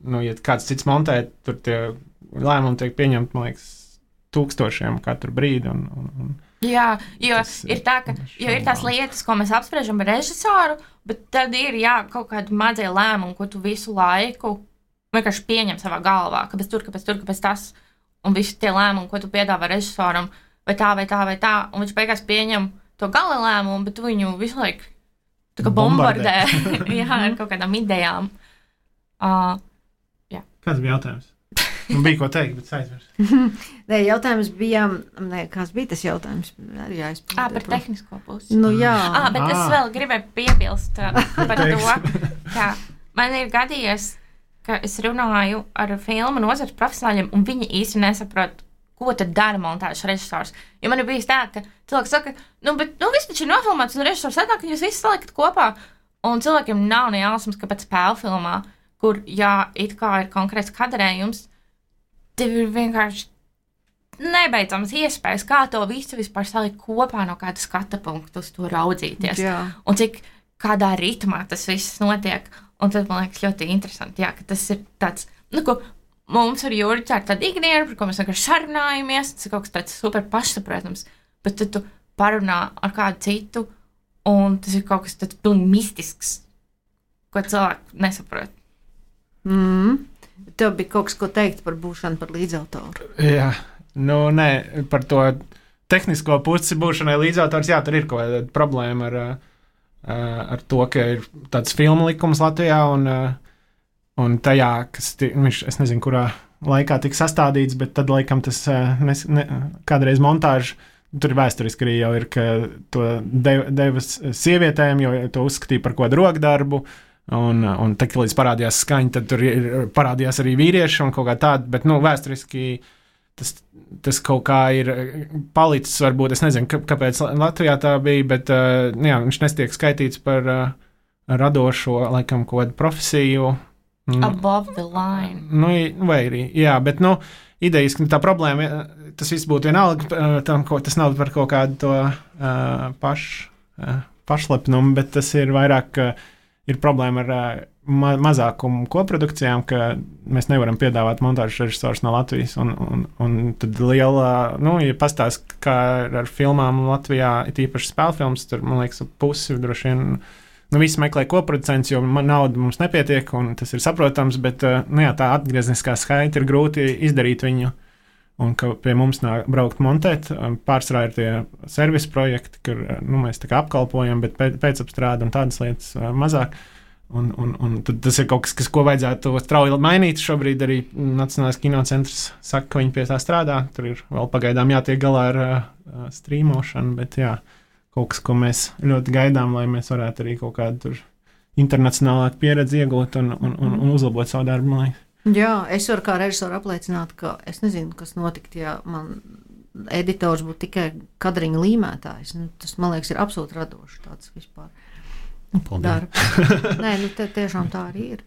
nu, ja kāds cits montē, tur tie lēmumi tiek pieņemti, man liekas, tūkstošiem katru brīdi. Un, un, un jā, jo ir, tā, ka, jo ir tās lietas, ko mēs apspriežam ar režisoru, bet tad ir, jā, kaut kādi mazie lēmumi, ko tu visu laiku vienkārši pieņem savā galvā, kāpēc tur, kāpēc tur, kāpēc tas, un visi tie lēmumi, ko tu piedāvā režisoram, vai tā, vai tā, vai tā, un viņš beigās pieņem to gala lēmumu, bet tu viņu visu laiku tā kā bombardē, jā, ar kaut kādām idejām. Uh, jā. Kāds bija jautājums? Man bija ko teikt, bet aizvairs. Nē, jautājums bija, nē, kāds bija tas jautājums? Arī jāizpildē. Ā, par tehnisko pusi. Nu, jā. Ā, bet es vēl gribēju piebilst uh, par to, ka man ir gadījies, ka es runāju ar filmu nozares profesionāļiem, un viņi īsti nesaprot, ko tad dara montāžas režisors. Jo man ir bijis tā, ka cilvēks saka, nu, bet, nu, viss taču ir nofilmēts, un režisors atnāk, ka jūs visi saliekat kopā, un cilvēkiem nav ne jausmas, ka pēc spēļu filmā, kur, jā, it kā ir konkrēts kadrējums, tev ir vienkārši nebeidzamas iespējas, kā to visu vispār salikt kopā no kāda skata punkta uz to raudzīties. Jā. Un cik kādā ritmā tas viss notiek. Un tad man liekas ļoti interesanti, jā, ka tas ir tāds, nu, ko mums ar Jurģi ir tāda ikdiena, par ko mēs vienkārši sarunājamies, tas ir kaut kas tāds super pašsaprotams, bet tad tu parunā ar kādu citu, un tas ir kaut kas tāds pilnīgi mistisks, ko cilvēki nesaprot. Mm. Tev bija kaut kas, ko teikt par būšanu par līdzautoru. Jā, nu, nē, par to tehnisko pusi būšanai līdzautors, jā, tur ir kaut kāda problēma ar, ar to, ka ir tāds filmu likums Latvijā, un, un tajā, kas, viņš, es nezinu, kurā laikā tika sastādīts, bet tad, laikam, tas nes, ne, kādreiz montāžu, tur ir vēsturiski arī jau ir, ka to dev, devas sievietēm, jo to uzskatīja par kaut kādu rokdarbu, un, un tad, līdz parādījās skaņa, tad tur ir, parādījās arī vīrieši un kaut kā tāda, bet, nu, vēsturiski tas, tas kaut kā ir palicis, varbūt, es nezinu, kāpēc Latvijā tā bija, bet, uh, jā, viņš nestiek skaitīts par uh, radošo, laikam, kaut kādu profesiju. Above the line. Nu, vai arī, jā, bet, nu, idejas, ka tā problēma, tas viss būtu vienalga, tam, ko, tas nav par kaut kādu to uh, paš, uh, pašlepnumu, bet tas ir vairāk, ka ir problēma ar uh, ma mazākumu koprodukcijām, ka mēs nevaram piedāvāt montāžas režisors no Latvijas, un, un, un tad liela, nu, ja pastāst, kā ar filmām Latvijā, it īpaši spēlfilms, tur, man liekas, pusi droši vien, nu, visi meklē koproducents, jo man nauda mums nepietiek, un tas ir saprotams, bet, nu, jā, tā atgriezniskā skaita ir grūti izdarīt viņu, un ka pie mums nāk braukt montēt, pārsvarā ir tie servisa projekti, kur, nu, mēs tā kā apkalpojam, bet pēcapstrāde un tādas lietas mazāk. Un, un, un tas ir kaut kas, kas, ko vajadzētu strauji mainīt. Šobrīd arī Nacionālais kinocentrs saka, ka viņi pie tā strādā. Tur ir vēl pagaidām jātiek galā ar uh, strīmošanu, bet jā, kaut kas, ko mēs ļoti gaidām, lai mēs varētu arī kaut kādu tur internacionālāku pieredzi iegūt un, un, un, un uzlabot savu darbu, man liekas. Jā, es varu kā režisori apliecināt, ka es nezinu, kas notikt, ja man editors būtu tikai kadriņa līmētājs. Nu, tas, man liekas, ir absolūti radoši tāds vispār. Nē, nu te tiešām tā arī ir.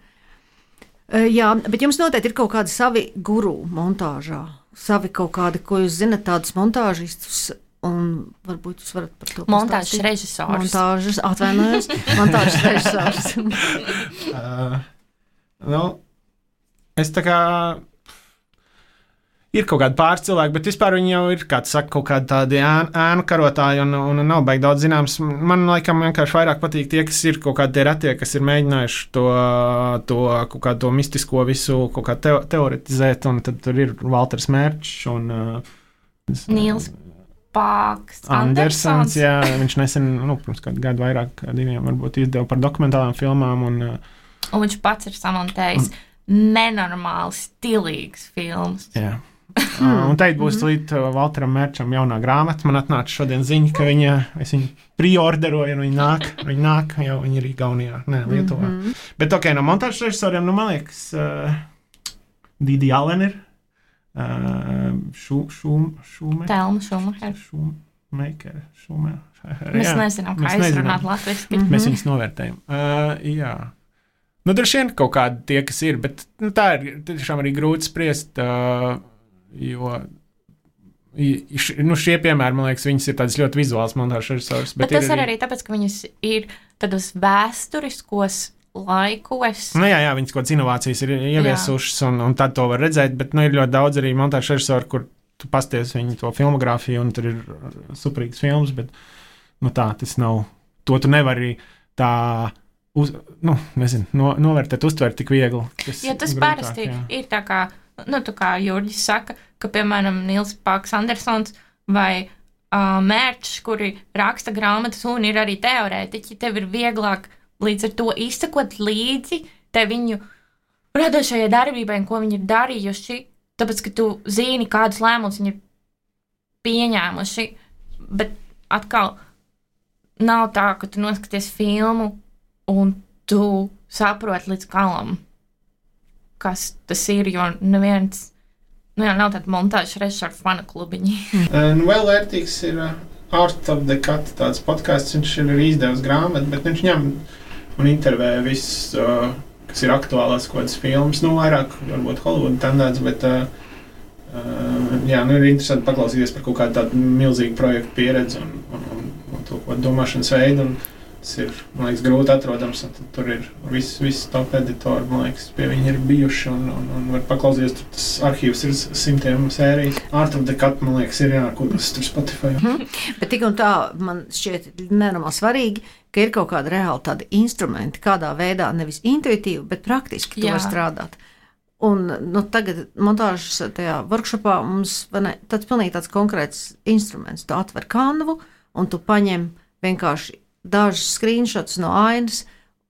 Uh, jā, bet jums noteikti ir kaut kādi savi guru montāžā, savi kaut kādi, ko jūs zinat, tādus montāžistus, un varbūt jūs varat par to pastāstīt. Montāžas režisors. Montāžas, atvainojos, montāžas režisors. uh, nu, es tā kā, ir kaut kādi pāris cilvēki, bet vispār viņi jau ir, kā tu saki, kaut kādi tādi ēnu, ēnu karotāji un, un nav baigi daudz zināms. Man laikam vienkārši vairāk patīk tie, kas ir kaut kādi tie retie, kas ir mēģinājuši to, to kaut kādu to mistisko visu kaut kā teo, teoretizēt, un tad tur ir Valters Mērčs un uh, Nils Pāks Andersons, jā, viņš nesen, nu, pirms kādu gadu vairāk, kā diviem varbūt izdeva par dokumentālām filmām, un, uh, un viņš pats ir samontējis un, nenormāli stilīgs films. Jā. Uh, un teikt būs līdz uh, Valteram Mērčam jaunā grāmata. Man atnāca šodien ziņa, ka viņa, es viņu preorderoju, un viņa nāk, viņa nāk, jau viņa ir Igaunijā, ne, Lietuvā. Mm -hmm. Bet, ok, no montāžas režisoriem, nu, man liekas, uh, Didi Allen ir, uh, Šu, Šum, Šume, Telma Šumacher. Šumacher, Šumacher. Mēs nezinām, kā izrunāt latviski. Mm -hmm. Mēs viņus novērtējam. Uh, jā. Nu, droši vien kaut kādi tie, kas ir, bet nu, tā ir tiešām arī grūti spriest, uh, jo nu, šie piemēri, man liekas, viņas ir tādas ļoti vizuāls montāžas režisors. Bet, bet tas ir arī, arī tāpēc, ka viņas ir tādos vēsturiskos laikos. Nu, jā, jā, viņas kaut kādas inovācijas ir ieviesušas, un, un tad to var redzēt, bet nu, ir ļoti daudz arī montāžas režisori, kur tu pasties viņu to filmogrāfiju, un tur ir superīgs films, bet nu, tā tas nav. To tu nevari tā... Uz, nu, nezinu, no, novērtēt, uztvert tik viegli. Tas ja tas grūtāk, parasti jā. Ir tā kā, nu, tā kā Jurģis saka, ka, piemēram, Nils Pāks Andersons vai uh, Mērčs, kuri raksta grāmatas un ir arī teorētiķi, tev ir vieglāk līdz ar to izsekot līdzi te viņu radošajai darbībai, ko viņi ir darījuši, tāpēc, ka tu zini, kādus lēmumus viņi ir pieņēmuši, bet atkal nav tā, ka tu noskaties filmu un tu saproti līdz galam, kas tas ir, jo neviens, nu jā, nav tāda montāžas režisora fana klubiņi. Un vēl vērtīgs ir uh, Art of the Cut, tāds podcasts, viņš ir arī izdevis grāmatu, bet viņš ņem un intervē visus, uh, kas ir aktuālās kaut kādas filmas, nu vairāk varbūt Hollywood tendēts, bet uh, uh, jā, nu ir interesanti paklausīties par kaut kādu tādu milzīgu projektu pieredzi un, un, un, un to domāšanas veidu. Un, tas ir, man liekas, grūti atrodams, un tur ir viss, viss top editori, man liekas, pie viņi ir bijuši, un, un, un var paklausīties, tur tas arhīvs ir simtiem sērijas. Art of the Cut, man liekas, ir jākūdas tur Spotify. Hmm. Bet tik un tā, man šķiet nenormāli svarīgi, ka ir kaut kāda reāli tāda instrumenti, kādā veidā, nevis intuitīvi, bet praktiski tu var strādāt. Un nu, tagad montāžas tajā workshopā mums, ne, tāds pilnīgi tāds konkrēts instruments. Tu atver kanvu, un tu paņem vienkārši dažus screenshotus no ainas,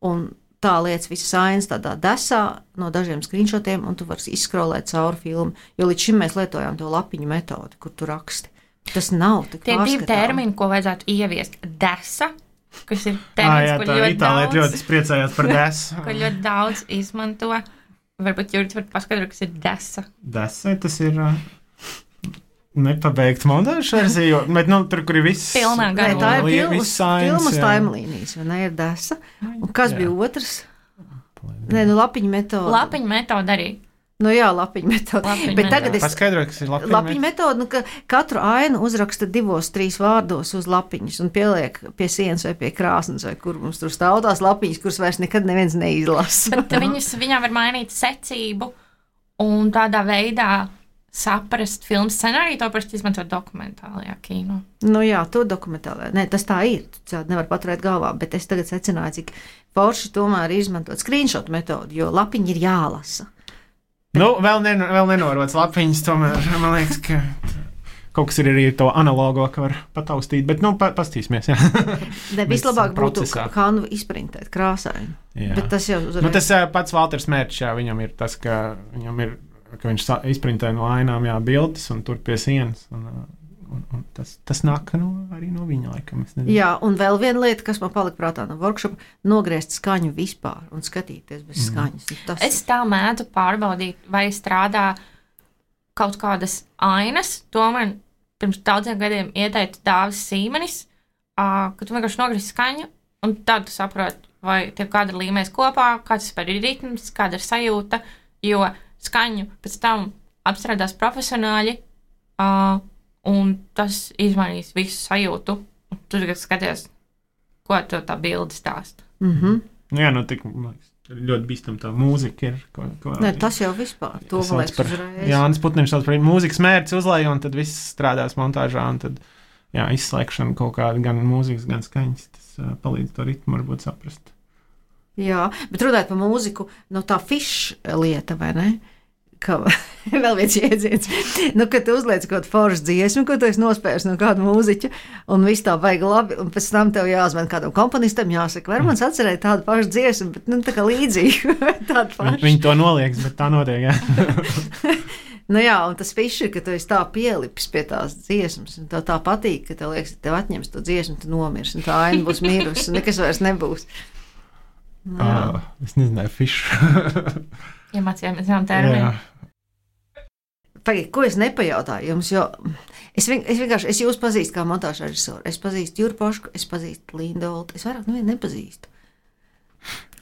un tā liec visas ainas tādā desā no dažiem screenshotiem, un tu vari izskrolēt cauri filmu. Jo līdz šim mēs lietojām to lapiņu metodi, kur tu raksti. Tas nav tik pārskatām. Tie divi termini, ko vajadzētu ieviest. Desa, kas ir termins, ko ļoti daudz... ļoti priecājās par desu. Ko ļoti daudz izmanto. Varbūt Jurģis var paskaidrot, kas ir desa. Desa, tas ir... Uh... Nepabeigts montāžas versija, bet nu, tur, kur ir viss pilnā garā. Tā ir filmas, filmas taimlīnijas, vai ne, ir desa. Un kas jā. Bija otrs? Nē, nu lapiņu metode. Lapiņu metode arī. Nu jā, lapiņu metode. Lapiņu bet tagad es... Paskaidroju, kas ir lapiņu, lapiņu metode. Nu, ka katru ainu uzraksta divos, trīs vārdos uz lapiņas un pieliek pie sienas vai pie krāsnes, vai kur mums tur stāv tās lapiņas, kuras vairs nekad neviens neizlasa. Bet viņas, viņām var mainīt secību un tādā veidā saprast filmu scenāriju, to parasti izmanto dokumentālajā kino. Nu jā, to dokumentālajā. Nē, tas tā ir. Tu nevar paturēt galvā, bet es tagad secināju, cik forši tomēr ir izmantot screenshot metodi, jo lapiņi ir jālasa. Bet... Nu, vēl, nen, vēl nenorots lapiņas, tomēr man liekas, ka kaut kas ir arī to analogo, ka var pataustīt, bet nu, pa, pastīsimies, jā. Ne, vislabāk būtu kanvu izprintēt krāsaini. Jā. Bet tas jau uzreiz... Nu, tas pats Valters Mērčs, jā, viņam ir tas, ka viņam ir ka viņš izprintē no ainām jā, bildes un tur pie sienas. Un, un, un tas, tas nāk no, arī no viņa laikam. Jā, un vēl viena lieta, kas man palika prātā no workshopa, nogriezt skaņu vispār un skatīties bez mm. skaņas. Tas... Es tā mēdzu pārbaudīt, vai strādā kaut kādas ainas. To man pirms daudziem gadiem ieteica Dāvis Sīmenis, uh, ka tu vienkārši nogriezt skaņu un tad tu saproti, vai tev kāda ir līmēs kopā, kāds ir ritms, kāda ir sajūta, jo skaņu pēc tam apstrādās profesionāļi, uh, un tas izmainīs visu sajūtu. Tu tagad skaties, ko to tā bilde stāsta. Mm-hmm. Jā, nu tik ļoti bīstam tā mūzika ir. Ko, ko ne, tas jau vispār, to man liekas uzreiz. Jānis Putniņš sauc par mūzikas mērķis uzlēja, un tad viss strādās montāžā, un tad, jā, izslēgšana kaut kāda gan mūzikas, gan skaņas, tas uh, palīdz to ritmu varbūt saprast. Jā, bet runājot par mūziku, no tā fiša lieta, vai ne? Ka, vēl viens jēdziens, nu, kad tu uzliec kaut kādu foršu dziesmu, ko tu esi nospējis no kāda mūziķa, un viss tā vajag labi, un pēc tam tev jāzvan kādam komponistam, jāsaka, var man atcerēt tādu pašu dziesmu, bet, nu, tā kā līdzīgi, tādu pašu. Viņi to nolieks, bet tā notiek, jā. Nu jā, un tas fišs ir, ka tu esi tā pielipis pie tās dziesmas, un tev tā patīk, ka tev liekas, ka tev atņems to dziesmu, tu nomirs, un tā aina būs mirusi, un nekas vairs nebūs. Uh, es nezināju, fišu. Iemācījāmies zinām terminu. Pagaid, ko es nepajautāju jums, jo es, vien, es vienkārši, es jūs pazīstu kā montāžu režisoru, es pazīstu Juru Pošku, es pazīstu Lindu Oltu, es vairāk nevienu nepazīstu.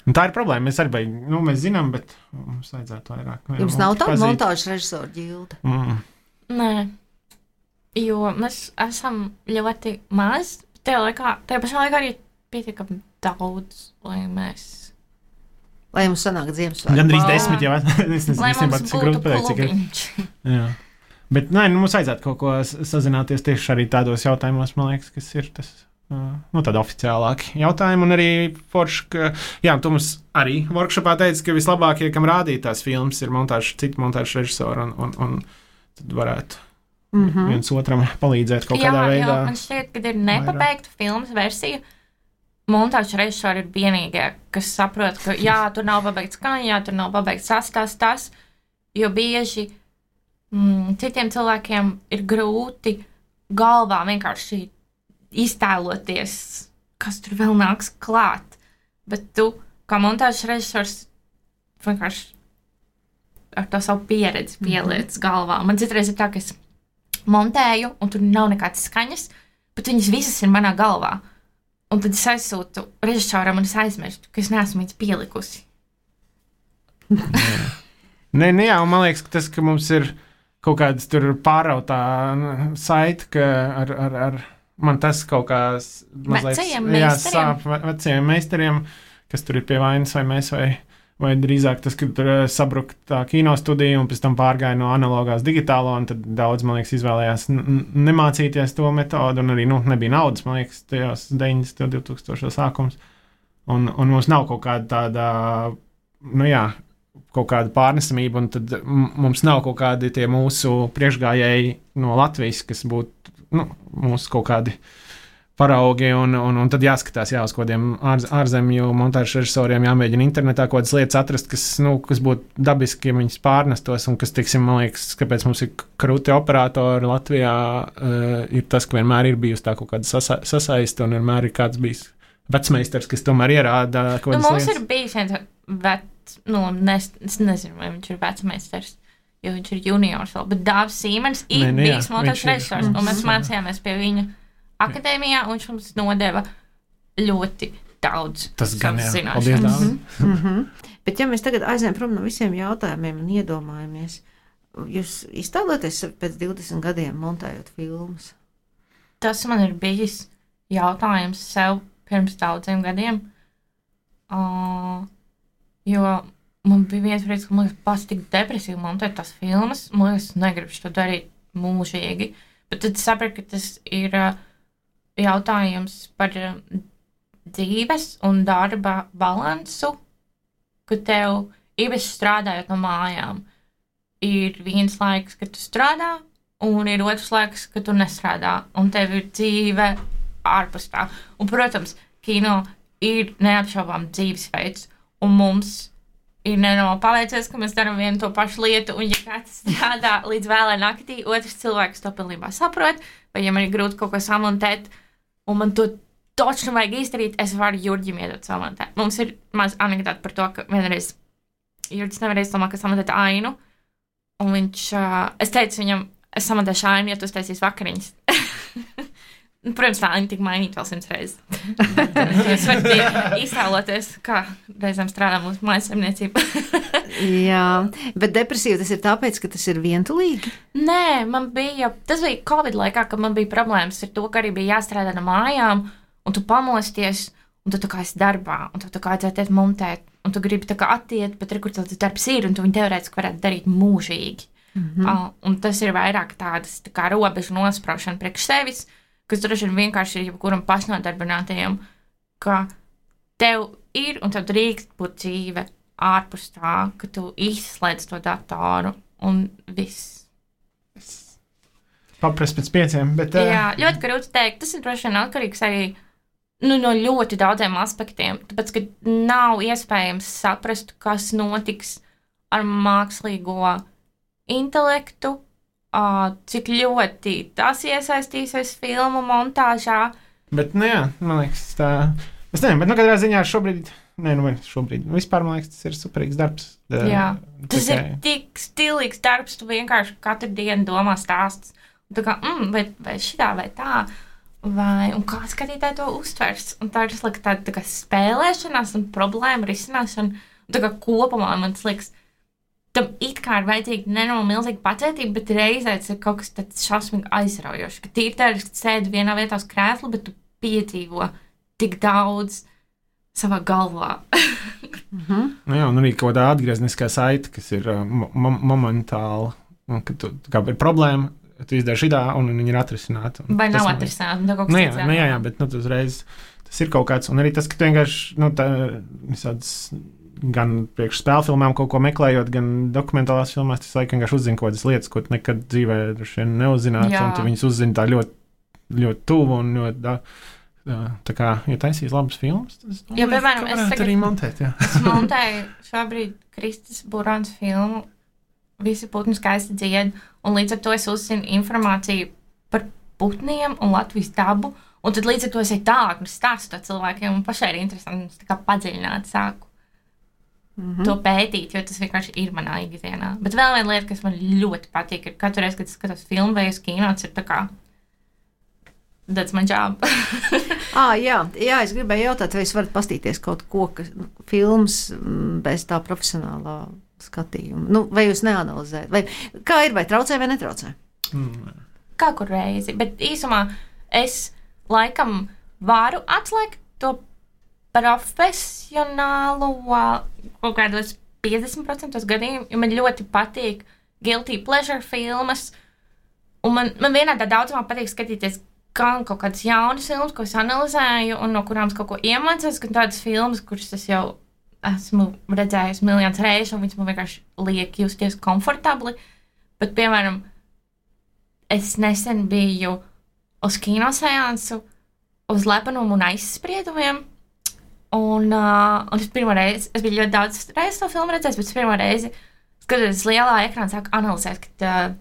Un tā ir problēma, mēs arī, nu, mēs zinām, bet mums vajadzētu vairāk. Jums nav tāda montāžu režisora ģilde? Mm. Nē, jo mēs esam ļoti maz, tajā laikā, tajā pašā laikā arī pietiekami daudz, lai mēs... Lai mums sanāk Ziemassvētku. Gandrīz desmit jau. Es nezinu, lai mums tas ir būtu grūti pateikt, cik ir. Jā. Bet, nē, nu, mums vajadzētu kaut ko sazināties tieši arī tādos jautājumos, man liekas, kas ir tas, nu, tādi oficiālāki jautājumi. Un arī forši, ka, jā, tu mums arī workshopā teici, ka vislabākie, kam rādīt tās filmas, ir montāžu, citu montāžu režisori, un, un, un tad varētu mm-hmm. viens otram palīdzēt kaut jā, kādā veidā. Jā, man šķiet, ka ir nepabeigta filmas versija. Montāžu režisori ir vienīgie, kas saprot, ka jā, tur nav pabeigts skaņa, jā, tur nav pabeigts sastāsts tas, jo bieži mm, citiem cilvēkiem ir grūti galvā vienkārši iztēloties, kas tur vēl nāks klāt. Bet tu, kā montāžu režisors, vienkārši ar to savu pieredzi pieliec mm-hmm. galvā. Man citreiz ir tā, ka es montēju, un tur nav nekādas skaņas, bet viņas visas ir manā galvā. Un tad es aizsūtu režisoram un es aizmirstu, ka es neesmu viņas pielikusi. Nē, nē, jā, un man liekas, ka tas, ka mums ir kaut kādas tur pārautā saita, ka ar, ar, ar man tas kaut kā mazliet... Vecajiem jā, meistariem. sāp vecajiem meistariem, kas tur ir pie vainas vai mēs vai... Vai drīzāk tas, ka tur sabruka tā kinostudija un pēc tam pārgāja no analogās digitālo, un tad daudz, man liekas, izvēlējās n- nemācīties to metodu, un arī, nu, nebija naudas, man liekas, tajos deviņdesmit, divtūkstošos sākums. Un, un mums nav kaut kāda tāda, nu jā, kaut kāda pārnesamība, un tad m- mums nav kaut kādi tie mūsu priekšgājēji no Latvijas, kas būtu, nu, mūsu kaut kādi paraugi, un, un, un tad jāskatās jā, uz kādiem ār, ārzemju montāžu režisoriem, jāmēģina internetā kaut kādas lietas atrast, kas, nu, kas būtu dabiski, ja viņas pārnestos, un kas, teiksim, man liekas, kāpēc mums ir krūti operatori Latvijā, uh, ir tas, ka vienmēr ir bijusi tā kaut kāda sasa, sasaiste, un vienmēr ir kāds bijis vecmeistars, kas tomēr ierāda kaut kādas nu, mums lietas. Ir bijis viens vec, nu, nes, es nezinu, vai viņš ir vecmeistars, jo viņš ir juniors vēl, bet Dāvis Sīmens ir ne, ne, bijis montāžu režisors, un mēs mācījāmies pie viņa akadēmijā, un viņš mums nodeva ļoti daudz tas gan jā, zināšanas. paldies. Mm -hmm. Bet ja mēs tagad aizējam prom no visiem jautājumiem un iedomājamies, jūs iztēloties pēc divdesmit gadiem montējot filmas? Tas man ir bijis jautājums sev pirms daudziem gadiem, uh, jo man bija viens brīdis, ka man liekas pats tik depresīvi montēt tās filmas, man liekas, negribu to darīt mūžīgi, bet tad sapratu, ka tas ir uh, jautājums par dzīves un darba balansu, ka tev īpaši strādājot no mājām ir viens laiks, kad tu strādā, un ir otrs laiks, kad tu nestrādā, un tev ir dzīve ārpus tā. Un, protams, kino ir neapšaubām dzīvesveids, un mums ir nenormāli paveicies, ka mēs darām vienu to pašu lietu, un ja kāds strādā līdz vēlai naktī, otrs cilvēks to pilnībā saprot, vai ja man ir grūti kaut ko samontēt, un man to točno vajag izdarīt, es varu Jurģim iedot samontēt. Mums ir maz anekdota par to, ka vienreiz Jurģis nevarēja domāt, ka samontēt ainu, un viņš, uh, es teicu viņam, es samontēšu ainu, ja tu uztaisīsi vakariņas. Protams, tā aina tika mainīta vēl simts reizes. Jūs varat iztēloties, kā reizēm strādā mūsu mājasemniecība. Jā, bet depresīva tas ir tāpēc, ka tas ir vientulīgi? Nē, man bija, tas bija Covid laikā, kad man bija problēmas ar to, ka arī bija jāstrādā no mājām, un tu pamosties, un tu tā kā esi darbā, un tu tā kā aizēties montēt, un tu gribi tā kā attiet, bet tur, kur tas darbs ir, un tu viņu teorētiski varētu darīt mūžīgi. Mm-hmm. Uh, un tas ir vairāk tādas tā kā robežu nospraušana priekš sevis, kas droši vien vienkārši ir jebkuram pašnodarbinātajam, ka tev ir un tev drīkst būt dzīve ārpus tā, ka tu izslēdz to datoru un viss. Paprast pēc pieciem, bet... Uh... Jā, ļoti grūti teikt. Tas ir droši vien atkarīgs arī nu, no ļoti daudziem aspektiem, tāpēc, ka nav iespējams saprast, kas notiks ar mākslīgo intelektu, uh, cik ļoti tas iesaistīsies filmu montāžā. Bet, nu jā, man liekas, tā... Es nezinu, bet, nu, katrā ziņā šobrīd... Nē, nu, šobrīd. Vispār, man liekas, tas ir superīgs darbs. Tā, jā, tas tikai... ir tik stilīgs darbs, tu vienkārši katru dienu domā stāsts. Tā kā, mm, vai, vai šitā, vai tā, vai, un kā skatītāji to uztvers. Un tā ir tā, tā, tā kā spēlēšanās un problēma risināšana. Un tā kā kopumā man tas liekas, tam it kā ir vajadzīga nenormāli milzīga pacietība, bet reizē tas ir kaut kas tāds šausmīgi aizraujošs. Ka tīri tā ir, ka sēdi vienā vietā uz krēsla, bet tu piedzīvo tik daudz savā galvā. mm-hmm. Nu jā, un arī kaut kādā atgriezniskā saite, kas ir uh, mo momentāli, un, kad tu, kā ir problēma, tu izdari šitā, un viņi ir atrisināti. Vai nav atrisināti, un tā kaut kas nu, jā, cits. Nu, jā, jā, bet nu, tu uzreiz tas ir kaut kāds, un arī tas, ka tu vienkārši, nu, tā, visāds, gan priekš spēlfilmām kaut ko meklējot, gan dokumentālās filmās, tas laik vienkārši uzzina kaut kādas lietas, ko tu nekad dzīvē neuzzinātu, un tu viņus uzzini tā ļoti, ļoti tuvu un ļoti, tā, tā kā, ja taisīs labas filmas, tas, jā, piemēram, es tagad arī montēt, jā. Es montēju šobrīd Kristis Burāns filmu Visi putni skaisti dzied, un līdz ar to es uzzinu informāciju par putniem un Latvijas dabu, un tad līdz ar to es eju tālāk un stāstu to cilvēkiem, un pašai ir interesanti, un es tā kā padziļināt sāku mm-hmm. to pētīt, jo tas vienkārši ir manā ikdienā. Bet vēl viena lieta, kas man ļoti patīk, ir katru reizi, kad es skatos filmu vai uz kino, tas ir tā kā that's my job. ah, jā, jā, es gribēju jautāt, vai jūs varat pastīties kaut ko, kas films bez tā profesionālā skatījumu. Nu, vai jūs neanalizējat? Vai, kā ir, vai traucē vai netraucē? Mm. Kā kur reizi. Bet īsumā es laikam varu atslēgt to profesionālo kaut kādos piecdesmit procentos gadījumu, jo man ļoti patīk guilty pleasure filmas. Un man, man vienādā daudzumā patīk skatīties gan kaut kādas jaunas filmas, ko es analizēju un no kurām es kaut ko iemācos, gan tādas filmas, kuras es jau esmu redzējusi miljonus reizes, un viņas man vienkārši liek justies komfortabli. Bet, piemēram, es nesen biju uz kinoseansu, uz lepenumu un aizspriedumiem, un, uh, un es pirmo reizi, es biju ļoti daudz reizes to filmu redzējis, bet es pirmo reizi, skatoties lielā ekrānā, sāku analizēt, ka uh,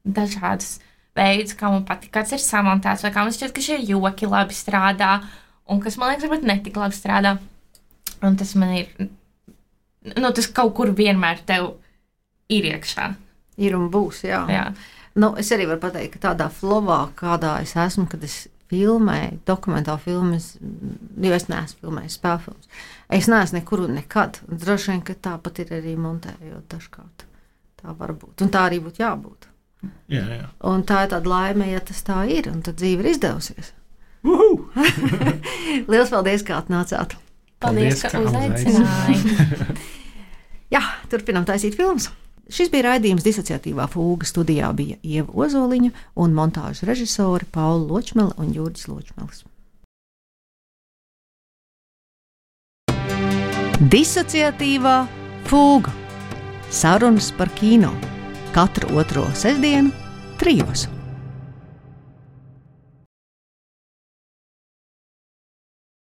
dažādas veidus, kā man patīk, kāds ir samontēts, vai kā man šķiet, ka šie joki labi strādā, un kas, man liekas, varbūt netik labi strādā. Un tas man ir, nu, tas kaut kur vienmēr tev ir iekšā. Ir un būs, jā. jā. Nu, es arī varu pateikt, ka tādā flovā, kādā es esmu, kad es filmēju, dokumentālu filmas, jo es neesmu filmējis spēlfilmas. Es neesmu nekur un nekad. Droši vien, ka tāpat ir arī montējot dažkārt. Tā var būt. Un tā arī būtu jābūt. Jā, jā. Un tā ir tāda laime, ja tas tā ir, un tad dzīve ir izdevusies. Liels paldies, kā atnācāt! Paldies, ka uzaicināji. Jā, turpinām taisīt filmas. Šis bija raidījums Disociatīvā fūga. Studijā bija Ieva Ozoliņa un montāžas režisori Paula Ločmele un Jurģis Ločmelis. Disociatīvā fūga. Sarunas par kino. Katru otro sestdienu trijos.